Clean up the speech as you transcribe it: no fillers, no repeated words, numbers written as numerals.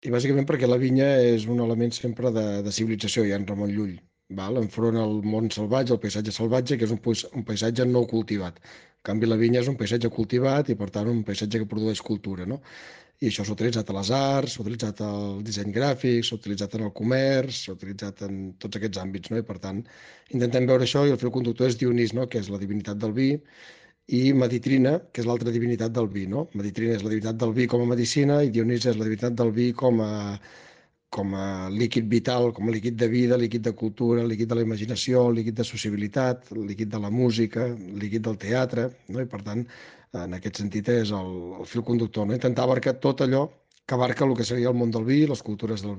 I bàsicament perquè la vinya és un element sempre de civilització, ja en Ramon Llull, val? Enfront al món salvatge, al paisatge salvatge, que és un paisatge no cultivat. En canvi, la vinya és un paisatge cultivat i, per tant, un paisatge que produeix cultura, no? I això s'ha utilitzat a les arts, s'ha utilitzat al disseny gràfic, s'ha utilitzat en el comerç, s'ha utilitzat en tots aquests àmbits, no? I, per tant, intentem veure això i el fil conductor és Dionís, no? Que és la divinitat del vi, i Meditrina, que és l'altra divinitat del vi, no? Meditrina és la divinitat del vi com a medicina i Dionís és la divinitat del vi com a líquid vital, com a líquid de vida, líquid de cultura, líquid de la imaginació, líquid de sociabilitat, líquid de la música, líquid del teatre, no? I per tant, en aquest sentit és el fil conductor, no? Intentar abarcar tot allò que abarca el que seria el món del vi i les cultures del vi.